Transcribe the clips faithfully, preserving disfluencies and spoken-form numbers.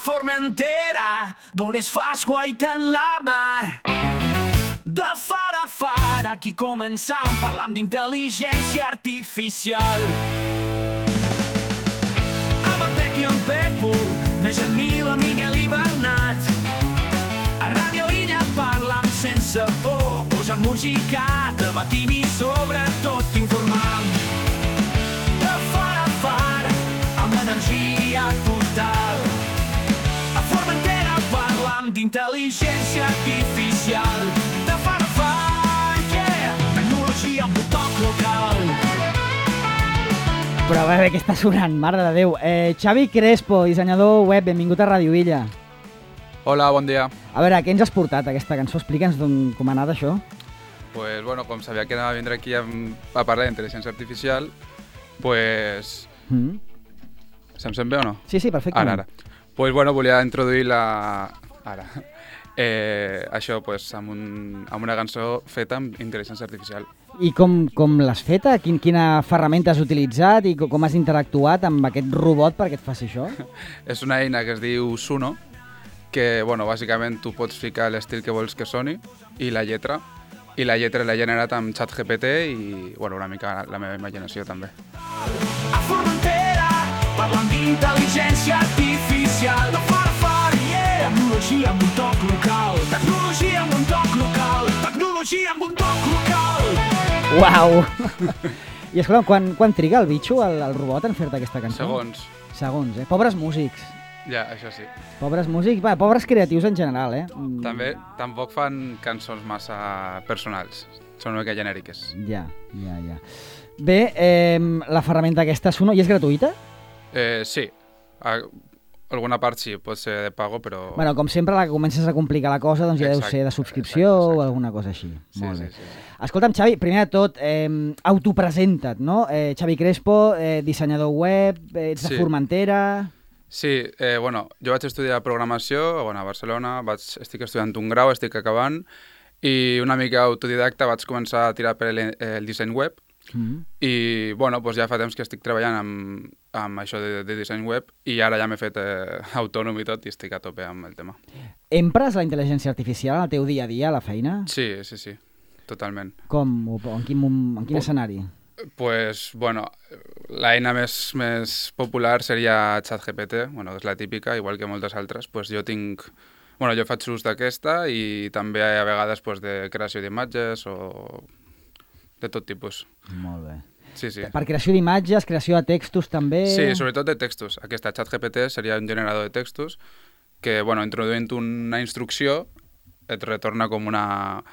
Formentera, d'on es fa esguaita en la mar. De far a far, aquí començam parlant d'intel·ligència artificial. Amb en Pec i en Pepo, més en Mila, Miguel i Bernat. A Ràdio Illa parlam sense por, posant música, debatim i sobretot informam. De far a far, amb energia total. A Formentera parlam d'intel·ligència artificial. De far a far, yeah, tecnologia amb un toc local. Però a veure què està sonant, mare de Déu. Eh, Xavi Crespo, dissenyador web, benvingut a Ràdio Illa. Hola, bon dia. A veure, què ens has portat aquesta cançó? Explica'ns com ha anat això. Pues bueno, com sabia que anava a vindre aquí a, a parlar d'intel·ligència artificial, pues... Mm. Se'm sent bé o no? Sí, sí, perfectament. Ara, ara. Pues bueno, volia introduir la... Ara. Eh, això, pues, amb, un, amb una cançó feta amb intel·ligència artificial. I com, com l'has feta? Quin, quina ferramenta has utilitzat i com has interactuat amb aquest robot perquè et faci això? És una eina que es diu Suno, que, bueno, bàsicament tu pots ficar l'estil que vols que soni i la lletra, i la lletra l'he generat amb ChatGPT i, bueno, una mica la meva imaginació també. A Formentera parlant d'intel·ligència artificial. De far a far, yeah, tecnologia amb un toc local. Tecnologia amb un toc local. Tecnologia amb un toc local. Uau! I escolta, quan, quan triga el bitxo, el, el robot, en fer-te aquesta cançó? Segons. Segons, eh? Pobres músics. Ja, això sí. Pobres músics, va, pobres creatius en general, eh? Mm. També, tampoc fan cançons massa personals. Són una mica genèriques. Ja, ja, ja. Bé, eh, la ferramenta aquesta Suno, i és gratuïta? Eh, sí. A, alguna part sí, pot ser de pago, però... Bueno, com sempre, la que comences a complicar la cosa, doncs ja Exacte, deu ser de subscripció exacte, exacte. o alguna cosa així. Sí, Molt sí, bé. sí, sí. Escolta'm, Xavi, primer de tot, eh, autopresenta't, no? Eh, Xavi Crespo, eh, dissenyador web, eh, ets de Sí. Formentera... Sí, eh, bueno, jo vaig estudiar programació bueno, a Barcelona, vaig, estic estudiant un grau, estic acabant, i una mica autodidacta vaig començar a tirar per el, el disseny web, Mm. i bueno, doncs ja fa temps que estic treballant amb, amb això de, de disseny web, i ara ja m'he fet eh, autònom i tot, i estic a tope amb el tema. Empres la intel·ligència artificial en el teu dia a dia, a la feina? Sí, sí, sí, totalment. Com? O en quin, mom- en quin Pues- escenari? Pues, bueno, l'eina més, més popular seria ChatGPT, bueno, és la típica, igual que moltes altres. Pues jo tinc... Bueno, jo faig ús d'aquesta i també a vegades pues, de creació d'imatges o de tot tipus. Molt bé. Sí, sí. Per creació d'imatges, creació de textos també... Sí, sobretot de textos. Aquesta ChatGPT seria un generador de textos que, bueno, introduint una instrucció et retorna com una,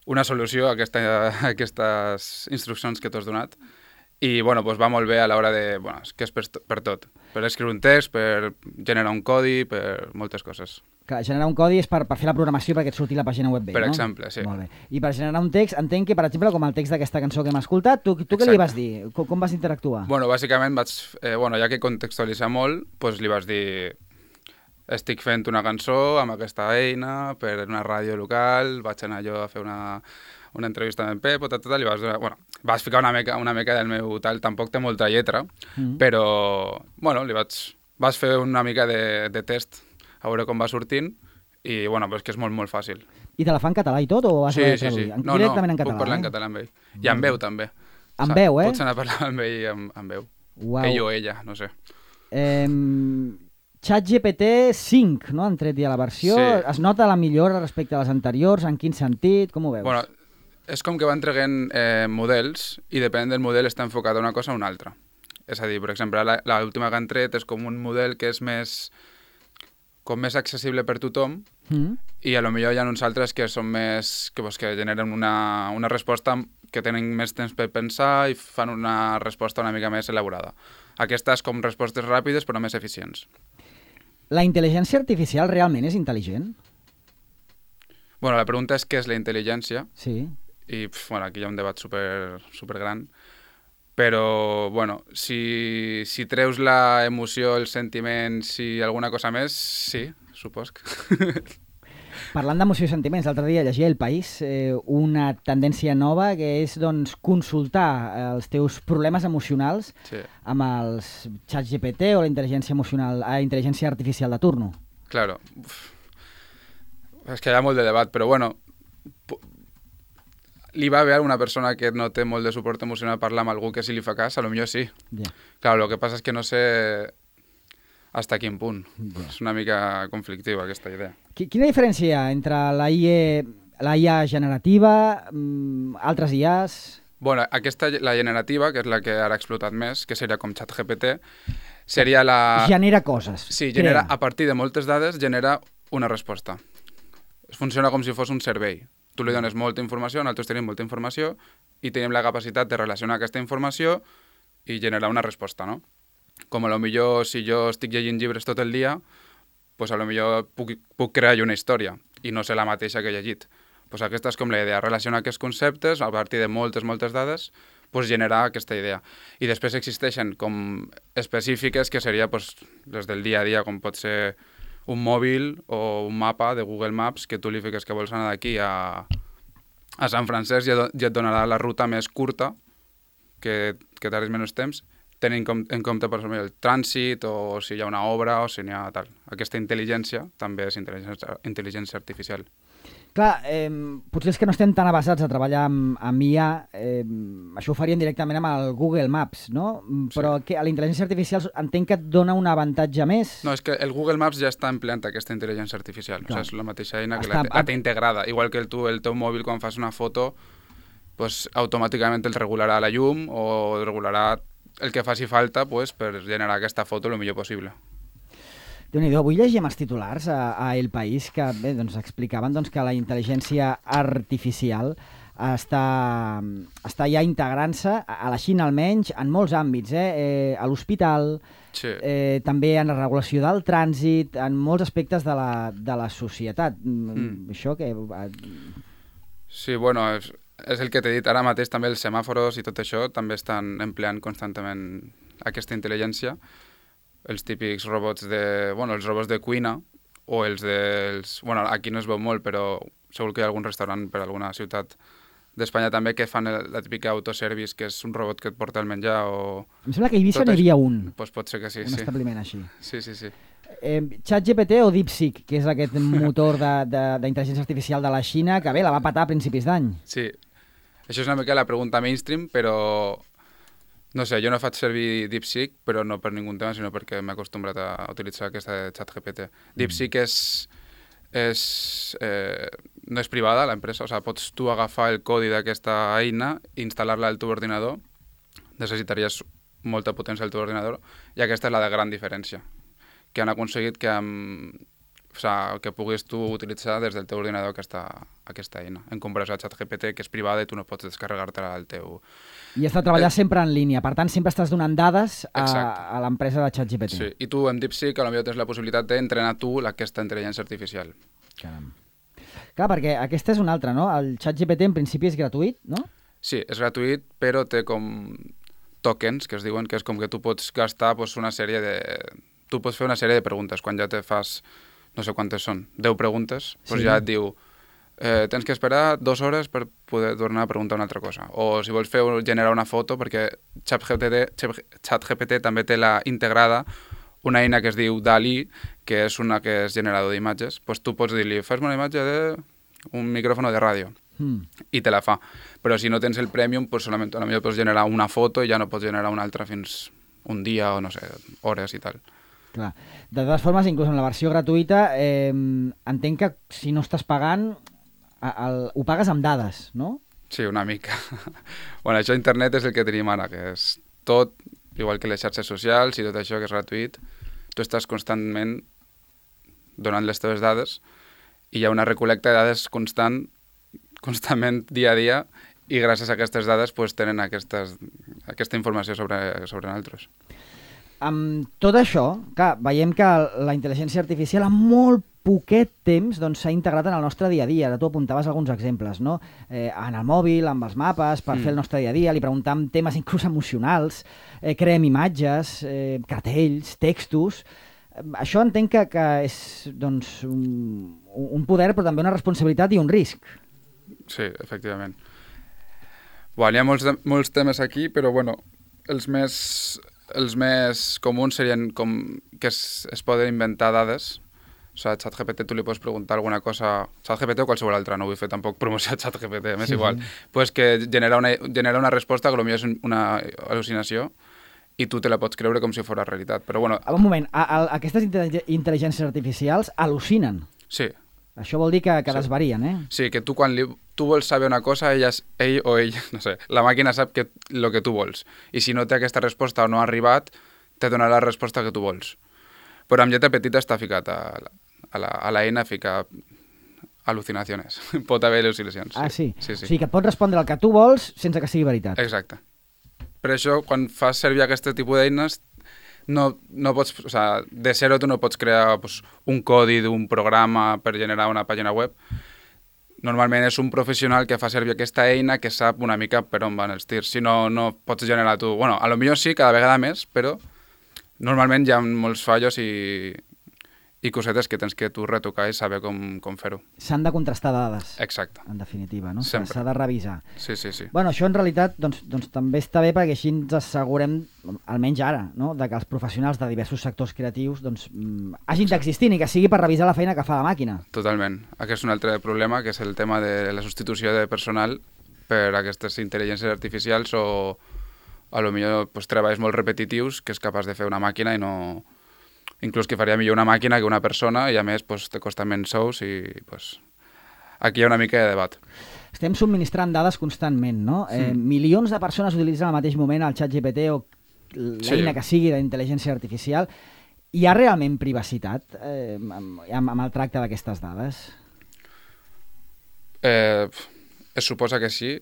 una solució a, aquesta, a aquestes instruccions que t'has donat. I, bueno, doncs va molt bé a l'hora de... Bueno, és que és per, per tot. Per escriure un text, per generar un codi, per moltes coses. Que generar un codi és per, per fer la programació perquè et surti la pàgina web bé, Per no? exemple, sí. Molt bé. I per generar un text, entenc que, per exemple, com el text d'aquesta cançó que hem escoltat, tu, tu què li Exacte. vas dir? Com, com vas interactuar? Bueno, bàsicament vaig... Eh, bueno, ja que contextualitzar molt, doncs li vas dir... Estic fent una cançó amb aquesta eina per una ràdio local, vaig anar jo a fer una, una entrevista amb en Pep, tot, tot, li vas donar... Bueno, vas ficar una mica, una mica del meu tal, tampoc té molta lletra, Mm. però, bueno, li vaig... Vas fer una mica de, de test, a veure com va sortint, i, bueno, però és que és molt, molt fàcil. I te la fa en català i tot, o has Sí, de sí, sí. traduir? En- No, no, Directament en català, puc parlar en eh? català amb ell. I amb veu, també. Amb veu, eh? Pots anar a parlar amb ell amb, amb veu. Uau. Ell o ella, no sé. Eh, ChatGPT cinc, no? Han tret ja la versió. Sí. Es nota la millora respecte a les anteriors? En quin sentit? Com ho veus? Bueno, és com que van traient eh, models i depèn del model està enfocat a una cosa o una altra. És a dir, per exemple, la- l'última que han tret és com un model que és més com més accessible per tothom Mm. i a lo millor hi ha uns altres que són més que, pues, que generen una, una resposta que tenen més temps per pensar i fan una resposta una mica més elaborada. Aquestes com respostes ràpides però més eficients. La intel·ligència artificial realment és intel·ligent? Bueno, la pregunta és què és la intel·ligència Sí. i pf, bueno, aquí hi ha un debat super, super gran, però bueno, si, si treus la emoció, els sentiments i alguna cosa més, sí, supos que... Parlant d'emoció i sentiments, l'altre dia llegia El País, eh, una tendència nova que és doncs, consultar els teus problemes emocionals Sí. amb els xats G P T o la intel·ligència emocional, la intel·ligència artificial de turno. Claro. Uf. És que hi ha molt de debat, però bueno, li va bé a una persona que no té molt de suport emocional parlar amb algú que si li fa cas, a lo millor sí. Yeah. Claro, lo que passa és que no sé hasta quin punt. Yeah. És una mica conflictiva aquesta idea. Quina diferència hi ha entre la I A, la I A generativa, mm, altres I As? Bueno, aquesta, la generativa, que és la que ara ha explotat més, que seria com ChatGPT, seria la... Genera coses. Sí, genera, crea. a partir de moltes dades, genera una resposta. Funciona com si fos un servei. Tu li dones molta informació, nosaltres tenim molta informació i tenim la capacitat de relacionar aquesta informació i generar una resposta, no? Com a lo millor si jo estic llegint llibres tot el dia, pues a lo millor puc, puc crear una història i no sé la mateixa que he llegit. Pues aquesta és com la idea, relacionar aquests conceptes a partir de moltes, moltes dades, pues generar aquesta idea. I després existeixen com específiques que seria pues, les del dia a dia, com pot ser un mòbil o un mapa de Google Maps que tu li fiques que vols anar d'aquí a, a Sant Francesc i et donarà la ruta més curta que, que tardis menys temps, tenint com, en compte per exemple, el trànsit o si hi ha una obra o si n'hi ha tal. Aquesta intel·ligència també és intel·ligència, intel·ligència artificial. Clar, eh, potser és que no estem tan avasats a treballar amb, amb I A, eh, això ho faríem directament amb el Google Maps, no? Però sí. Que a la intel·ligència artificial entenc que et dona un avantatge més. No, és que el Google Maps ja està empleant aquesta intel·ligència artificial. Clar. O sigui, és la mateixa eina que està, la, la té integrada. Igual que el, tu, el teu mòbil, quan fas una foto, pues, automàticament el regularà la llum o regularà el que faci falta pues, per generar aquesta foto el millor possible. Déu-n'hi-do, avui llegíem els titulars a, a El País que bé, doncs, explicaven doncs, que la intel·ligència artificial està, està ja integrant-se, a la Xina almenys, en molts àmbits, eh? Eh, a l'hospital, sí. eh, també en la regulació del trànsit, en molts aspectes de la, de la societat. Mm. Això que... Sí, bueno, és, és el que t'he dit ara mateix, també els semàforos i tot això també estan empleant constantment aquesta intel·ligència. Els típics robots de... Bueno, els robots de cuina o els dels... Bueno, aquí no es veu molt, però segur que hi ha algun restaurant per alguna ciutat d'Espanya també que fan el, la típica autoservice, que és un robot que et porta el menjar o... Em sembla que a Eivissa n'hi havia un. Doncs pues pot ser que sí, un sí. Un establiment així. Sí, sí, sí. Eh, ChatGPT o DeepSeek, que és aquest motor d'intel·ligència artificial de la Xina, que bé, la va patar a principis d'any. Sí. Això és una mica la pregunta mainstream, però... No sé, jo no faig servir DeepSeek, però no per ningú tema, sinó perquè m'he acostumbrat a utilitzar aquesta de ChatGPT. DeepSeek és, és, eh, no és privada, l'empresa, o sigui, pots tu agafar el codi d'aquesta eina i instal·lar-la al teu ordinador. Necessitaries molta potència al teu ordinador i aquesta és la de gran diferència, que han aconseguit que, amb, o sigui, que puguis tu utilitzar des del teu ordinador aquesta, aquesta eina, en comparació a ChatGPT, que és privada i tu no pots descarregar-te-la al teu... I has de treballar eh... sempre en línia, per tant sempre estàs donant dades a, a l'empresa de ChatGPT. Sí, i tu amb DeepSeek potser tens la possibilitat d'entrenar tu aquesta intel·ligència artificial. Caram. Clar, perquè aquesta és una altra, no? El ChatGPT en principi és gratuït, no? Sí, és gratuït, però té com tokens, que es diuen, que és com que tu pots gastar pues, una sèrie de... Tu pots fer una sèrie de preguntes. Quan ja te fas, no sé quantes són, deu preguntes, doncs sí. Ja et diu... Eh, tens que esperar dues hores per poder tornar a preguntar una altra cosa. O si vols fer generar una foto, perquè ChatGPT, ChatGPT també té la integrada una eina que es diu DALL-E, que és una que és generador d'imatges, doncs tu pots dir-li, fes-me una imatge d'un micròfon de ràdio, mm. i te la fa. Però si no tens el Premium, doncs solament potser pots generar una foto i ja no pots generar una altra fins un dia o, no sé, hores i tal. Clar. De totes formes, inclús en la versió gratuïta, eh, entenc que si no estàs pagant... El, ho pagues amb dades, no? Sí, una mica. Bueno, això a internet és el que tenim ara, que és tot, igual que les xarxes socials i tot això que és gratuït, tu estàs constantment donant les teves dades i hi ha una recol·lecta de dades constant, constantment dia a dia, i gràcies a aquestes dades pues, tenen aquestes, aquesta informació sobre, sobre nosaltres. Amb tot això, clar, veiem que la intel·ligència artificial en molt poquet temps s'ha doncs, integrat en el nostre dia a dia. Ara tu apuntaves alguns exemples, no? Eh, en el mòbil, amb els mapes, per mm. fer el nostre dia a dia, li preguntem temes inclús emocionals, eh, creem imatges, eh, cartells, textos... Això entenc que, que és doncs, un, un poder, però també una responsabilitat i un risc. Sí, efectivament. Bueno, hi ha molts, molts temes aquí, però bueno, els més, els més comuns serien com que es, es poden inventar dades. O sigui, a ChatGPT tu li pots preguntar alguna cosa, ChatGPT o qualsevol altra, no vull fer tampoc promoció a ChatGPT, m'és sí, igual. Sí. Pues que genera una, genera una resposta que potser és una al·lucinació i tu te la pots creure com si fos realitat. Però bueno... Un moment, a, a, aquestes intel·ligències artificials al·lucinen. Sí. Això vol dir que, que sí. desvarien, eh? Sí, que tu quan li, tu vols saber una cosa, ell, ell o ell, no sé, la màquina sap que, el que tu vols. I si no té aquesta resposta o no ha arribat, te donarà la resposta que tu vols. Però amb lletra petita està ficat a, a, la, a l'eina, fica al·lucinacions. Pot haver al·lucinacions. Ah, sí? Sí, sí. O sigui que et pot respondre el que tu vols sense que sigui veritat. Exacte. Per això, quan fas servir aquest tipus d'eines, no, no pots, o sea, de zero tu no pots crear pues, un codi d'un programa per generar una pàgina web. Normalment és un professional que fa servir aquesta eina que sap una mica per on van els tirs. Si no, no pots generar tu... Bueno, a lo millor sí, cada vegada més, però normalment hi ha molts fallos i, i cosetes que tens que tu retocar i saber com, com fer-ho. S'han de contrastar dades. Exacte. En definitiva, no? Sempre. S'ha de revisar. Sí, sí, sí. Bueno, això en realitat doncs, doncs, també està bé perquè així ens assegurem, almenys ara, no? De que els professionals de diversos sectors creatius doncs, hagin d'existir i que sigui per revisar la feina que fa la màquina. Totalment. Aquest és un altre problema, que és el tema de la substitució de personal per aquestes intel·ligències artificials o a lo millor pues, treballs molt repetitius que és capaç de fer una màquina i no... Inclús que faria millor una màquina que una persona i a més pues, te costa menys sous i pues, aquí hi ha una mica de debat. Estem subministrant dades constantment, no? Sí. Eh, milions de persones utilitzen al mateix moment el ChatGPT o l'eina sí. que sigui d'intel·ligència artificial. Hi ha realment privacitat eh, amb, amb el tracte d'aquestes dades? Eh, es suposa que sí,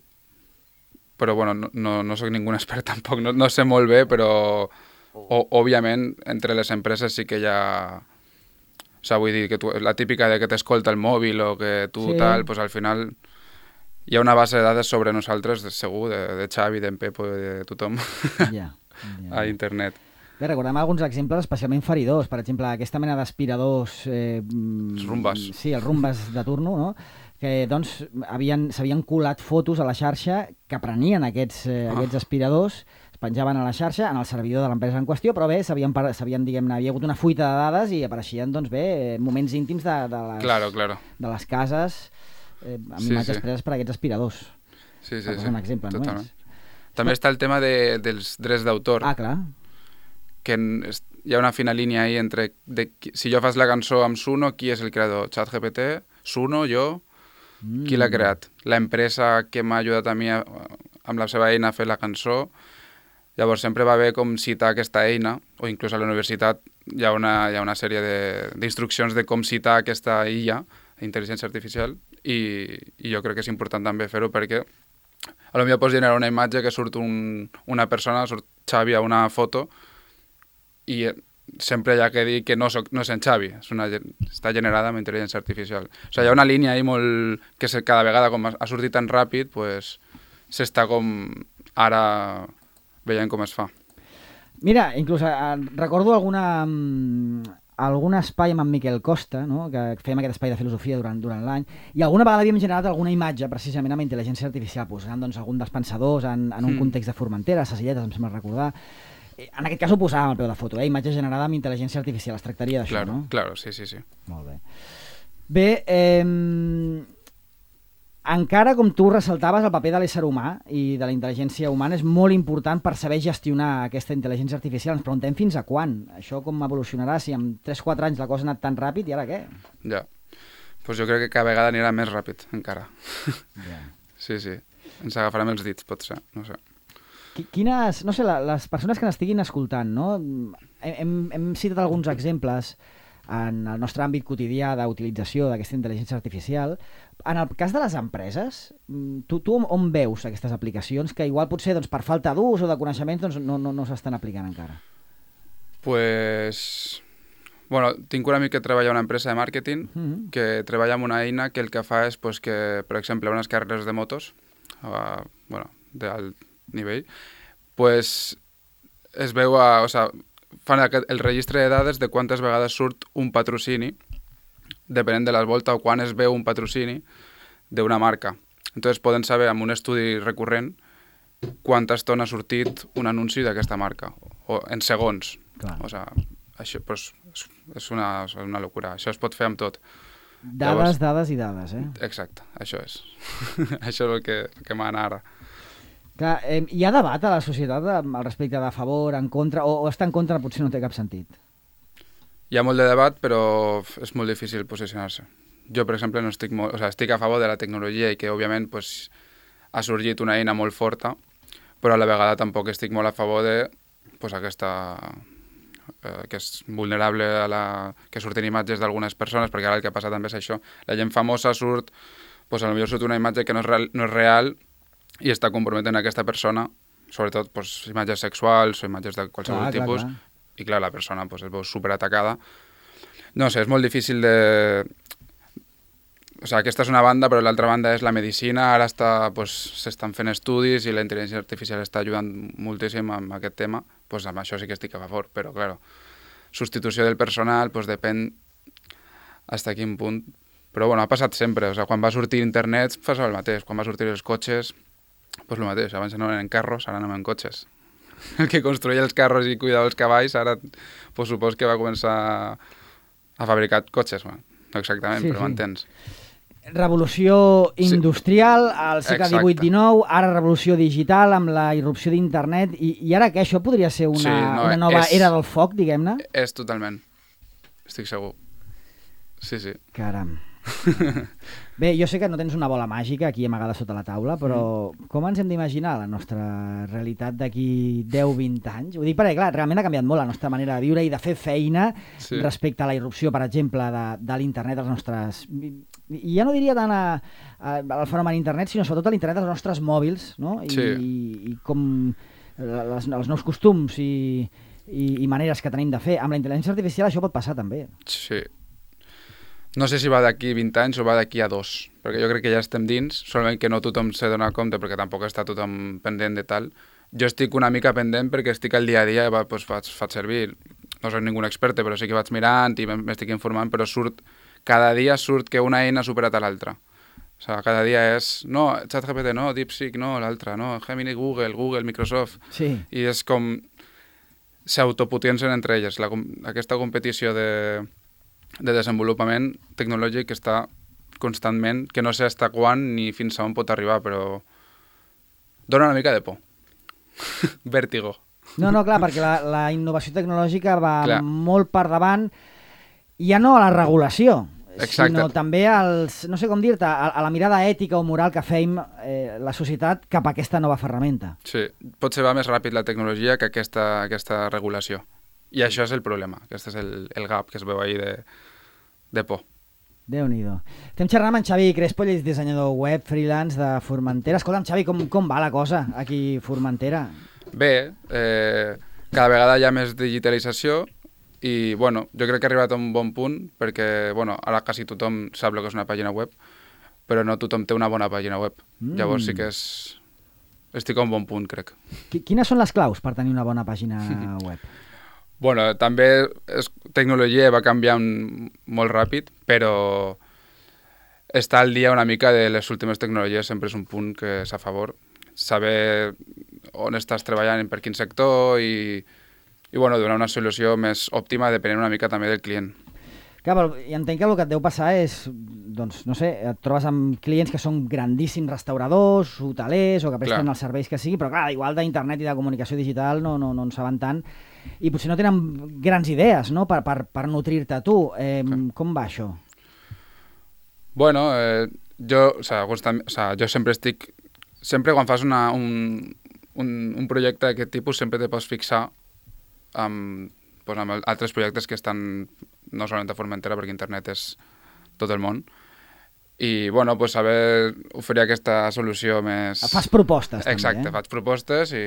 però bueno, no, no, no soc ningú expert tampoc, no, no sé molt bé, però... O, òbviament, entre les empreses sí que hi ha... O sigui, vull dir, que tu, la típica de que t'escolta el mòbil o que tu sí. tal, doncs al final hi ha una base de dades sobre nosaltres, de, segur, de, de Xavi, d'en Pepo, de tothom, ja, ja. a internet. Bé, recordem alguns exemples especialment feridors. Per exemple, aquesta mena d'aspiradors... Eh, els rumbes. Sí, els rumbes de turno, no? Que doncs s'havien colat fotos a la xarxa que prenien aquests, eh, ah. aquests aspiradors, penjaven a la xarxa, en el servidor de l'empresa en qüestió, però bé, s'havien, diguem-ne, havia hagut una fuita de dades i apareixien, doncs bé, moments íntims de, de, les, claro, claro. de les cases eh, amb sí, imatges sí. preses per aquests aspiradors. Sí, sí, sí. Un exemple només. També està el tema de, dels drets d'autor. Ah, clar. Que hi ha una fina línia ahí entre de, si jo fas la cançó amb Suno, qui és el creador? ChatGPT? Suno? Jo? Mm. Qui l'ha creat? L'empresa que m'ha ajudat a mi a, amb la seva eina a fer la cançó. Llavors sempre va bé com citar aquesta eina, o inclús a la universitat hi ha una, hi ha una sèrie d'instruccions de, de com citar aquesta I A, intel·ligència artificial, i, i jo crec que és important també fer-ho perquè a lo millor pots generar una imatge que surt un, una persona, surt Xavi a una foto, i sempre hi ha que dir que no, soc, no és en Xavi, és una, està generada amb intel·ligència artificial. O sigui, hi ha una línia ahí molt... que cada vegada com ha sortit tan ràpid, pues, s'està com ara... veient com es fa. Mira, inclús eh, recordo alguna, algun espai amb en Miquel Costa, no? Que fèiem aquest espai de filosofia durant, durant l'any, i alguna vegada havíem generat alguna imatge precisament amb intel·ligència artificial, posant doncs, algun dels pensadors en, en un mm. context de Formentera, Sacilletes, em sembla recordar. En aquest cas ho posàvem al peu de foto, eh? Imatge generada amb intel·ligència artificial, es tractaria d'això, claro, no? Claro, sí, sí, sí. Molt bé. Bé, eh... encara, com tu ressaltaves, el paper de l'ésser humà i de la intel·ligència humana és molt important per saber gestionar aquesta intel·ligència artificial. Ens preguntem fins a quan. Això com evolucionarà? Si en tres quatre anys la cosa ha anat tan ràpid, i ara què? Ja. Pues jo crec que cada vegada anirà més ràpid, encara. Ja. Sí, sí. Ens agafarem els dits, pot ser. No sé. Quines... No sé, les persones que n'estiguin escoltant, no? Hem, hem citat alguns exemples en el nostre àmbit quotidià d'utilització d'aquesta intel·ligència artificial. En el cas de les empreses, tu, tu on veus aquestes aplicacions que igual potser doncs, per falta d'ús o de coneixements doncs, no, no, no s'estan aplicant encara? Pues... Bueno, tinc un amic que treballa a una empresa de màrqueting mm-hmm. que treballa amb una eina que el que fa és pues, que, per exemple, unes carreres de motos, uh, bueno, d'alt nivell, pues, es veu a... O sea, fan el registre de dades de quantes vegades surt un patrocini, depenent de la volta o quan es veu un patrocini d'una marca. Entonces poden saber amb un estudi recurrent quanta estona ha sortit un anunci d'aquesta marca, o en segons. Clar. O sigui, això pues, és, una, és una locura. Això es pot fer amb tot. Dades, Llavors, dades i dades, eh? Exacte, això és. Això és el que, que mana ara. Clar, eh, hi ha debat a la societat al respecte de favor, en contra, o, o estar en contra potser no té cap sentit? Hi ha molt de debat, però és molt difícil posicionar-se. Jo, per exemple, no estic, molt, o sigui, estic a favor de la tecnologia i que, òbviament, pues, ha sorgit una eina molt forta, però a la vegada tampoc estic molt a favor de pues, aquesta... Eh, que és vulnerable a la... que surten imatges d'algunes persones, perquè ara el que passa també és això. La gent famosa surt... Pues, a lo millor surt una imatge que no és real, no és real i està comprometent aquesta persona, sobretot pues, imatges sexuals o imatges de qualsevol clar, tipus, clar, clar. I clar, la persona pues, es veu superatacada. No sé, és molt difícil de... O sigui, aquesta és una banda, però l'altra banda és la medicina. Ara pues, s'estan fent estudis i la intel·ligència artificial està ajudant moltíssim amb aquest tema. Pues, amb això sí que estic a favor, però, clar, substitució del personal pues, depèn fins a quin punt. Però, bueno, ha passat sempre. O sigui, quan va sortir internet, passava el mateix. Quan va sortir els cotxes, pues el mateix. Abans no anaven en carros, ara anaven en cotxes. El que construïa els carros i cuidava els cavalls, ara pues, supos que va començar a fabricar cotxes. Bueno, no exactament, sí, però sí. M'entens. Revolució industrial sí. Al segle divuit dinou, ara revolució digital amb la irrupció d'internet i, i ara que això podria ser una, sí, no, una nova és, era del foc, diguem-ne? És totalment, estic segur. Sí, sí. Caram. Bé, jo sé que no tens una bola màgica aquí amagada sota la taula, però mm. com ens hem d'imaginar la nostra realitat d'aquí deu vint anys? Ho dic perquè, clar, realment ha canviat molt la nostra manera de viure i de fer feina sí. Respecte a la irrupció, per exemple, de, de l'internet als nostres... I ja no diria tant a, a, al fenomen internet, sinó sobretot a l'internet dels nostres mòbils, no? I, sí. i, i com les, els nous costums i, i, i maneres que tenim de fer. Amb la intel·ligència artificial això pot passar també. Sí. No sé si va d'aquí vint anys o va d'aquí a dos, perquè jo crec que ja estem dins, solament que no tothom se dona compte perquè tampoc està tothom pendent de tal. Jo estic una mica pendent perquè estic al dia a dia i va, pues, faig, faig servir, no soc ningú expert, però sí que vaig mirant i m'estic informant, però surt, cada dia surt que una eina ha superat a l'altra. O sigui, cada dia és, no, ChatGPT no, DeepSeek no, l'altra, no, Gemini, Google, Google, Microsoft, sí. I és com s'autopotencen entre elles, la, aquesta competició de... de desenvolupament tecnològic que està constantment, que no sé fins quan ni fins a on pot arribar, però dona una mica de por. Vèrtigo. No, no, clar, perquè la, la innovació tecnològica va clar. Molt per davant, ja no a la regulació, exacte. Sinó també als, no sé com dir-te, a, a la mirada ètica o moral que fem eh, la societat cap a aquesta nova ferramenta. Sí, potser va més ràpid la tecnologia que aquesta, aquesta regulació. I això és el problema, aquest és el, el gap que es veu ahir de, de por. Déu-n'hi-do. Estem xerrant amb en Xavi Crespo, ell és dissenyador web, freelance de Formentera. Escolta'm, Xavi, com, com va la cosa aquí a Formentera? Bé, eh, cada vegada hi ha més digitalització i, bueno, jo crec que ha arribat a un bon punt perquè, bueno, ara quasi tothom sap el que és una pàgina web, però no tothom té una bona pàgina web. Mm. Llavors sí que és... estic a un bon punt, crec. Quines són les claus per tenir una bona pàgina web? Bueno, també és, tecnologia va canviant molt ràpid, però estar al dia una mica de les últimes tecnologies sempre és un punt que és a favor. Saber on estàs treballant, per quin sector i, i bueno, donar una solució més òptima depenent una mica també del client. Clar, però i entenc que el que et deu passar és, doncs, no sé, et trobes amb clients que són grandíssims restauradors, hotelers o que presten clar. Els serveis que sigui, però clar, igual d'internet i de comunicació digital no, no, no en saben tant i potser no tenen grans idees, no?, per, per, per nutrir-te tu. Eh, com va això? Bueno, eh, jo, o sea, constant, o sea, jo sempre estic... Sempre quan fas una, un, un, un projecte d'aquest tipus sempre te pots fixar amb, pues, amb altres projectes que estan no solament a Formentera, perquè internet és tot el món. I, bueno, pues, saber oferir aquesta solució més... Fas propostes, també, exacte, eh? Faig propostes i,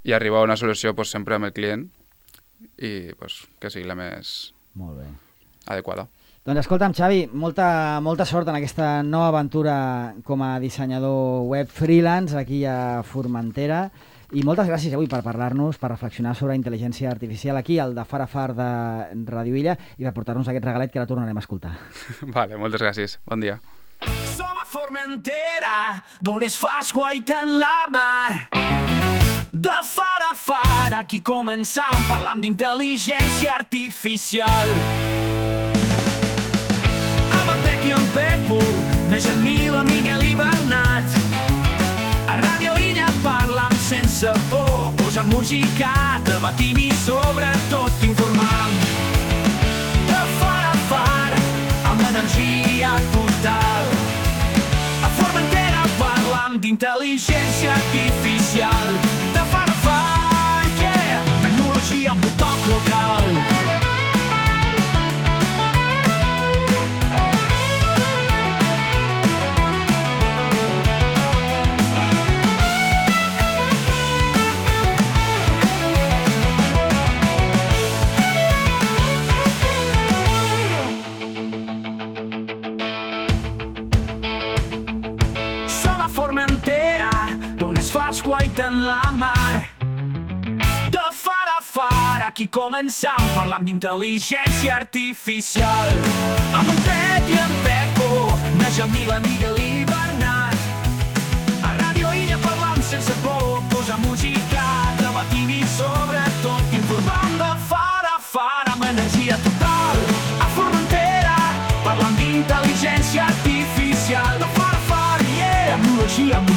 i arribar a una solució pues, sempre amb el client i pues, que sigui la més Molt bé. Adequada. Doncs escolta'm, Xavi, molta, molta sort en aquesta nova aventura com a dissenyador web freelance aquí a Formentera I moltes gràcies avui per parlar-nos, per reflexionar sobre intel·ligència artificial aquí, al de Far a Far de Ràdio Illa, i per portar-nos aquest regalet que ara tornarem a escoltar. Vale, moltes gràcies. Bon dia. Som a Formentera, d'on es fa esguaitant la mar. De far a far, aquí començam parlant d'intel·ligència artificial. Amb en Pec i en Pepo, més en Mil, en Miguel i Bernat. A Ràdio Illa parlam sense por, posant música, debatim i sobretot informam. De far a far, amb energia total. A Formentera parlam d'intel·ligència artificial. De far a far, yeah, tecnologia amb un toc local. Esguaiten la mar. De far a far, aquí començam parlant d'intel·ligència artificial. Amb en Pep i en Pepo, més en Mil, en Miguel i Bernat. A Ràdio Illa parlam sense por, posar música, debatim i sobretot informam. De far a far, amb energia total. A Formentera parlam d'intel·ligència artificial. De far a far, yeah, tecnologia amb